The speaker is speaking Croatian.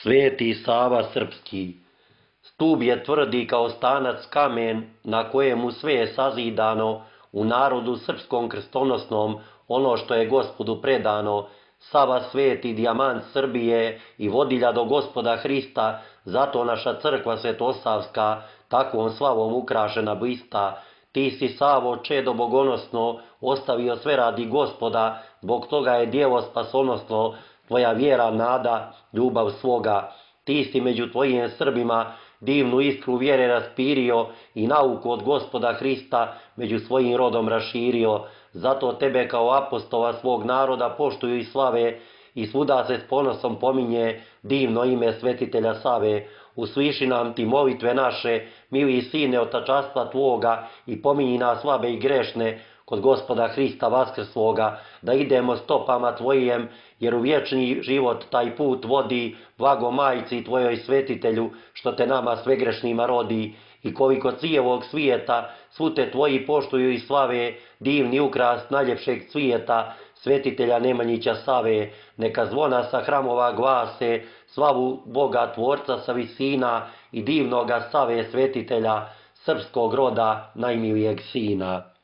Sveti Sava Srpski, stub je tvrdi kao stanac kamen na kojemu sve je sazidano, u narodu srpskom krstonosnom ono što je Gospodu predano. Sava sveti dijamant Srbije i vodilja do Gospoda Hrista, zato naša crkva svetosavska takvom slavom ukrašena blista. Ti si, Savo, čedo bogonosno, ostavio sve radi Gospoda, zbog toga je djevo spasonosno, tvoja vjera, nada, ljubav svoga. Ti si među tvojim Srbima divnu iskru vjere raspirio i nauku od Gospoda Hrista među svojim rodom raširio. Zato tebe kao apostola svog naroda poštuju i slave i svuda se s ponosom pominje divno ime svetitelja Save. Usliši nam ti molitve naše, mili sine, od tačastva tvoga, i pominji nas slabe i grešne kod Gospoda Hrista vaskrsloga, da idemo stopama tvojim, jer u vječni život taj put vodi, blago majci tvojoj svetitelju, što te nama svegrešnima rodi. I koliko cijelog svijeta svu te tvoji poštuju i slave, divni ukras najljepšeg cvijeta, svetitelja Nemanjića Save, neka zvona sa hramova glase slavu Boga Tvorca sa visina i divnoga Save svetitelja, srpskog roda najmilijeg sina.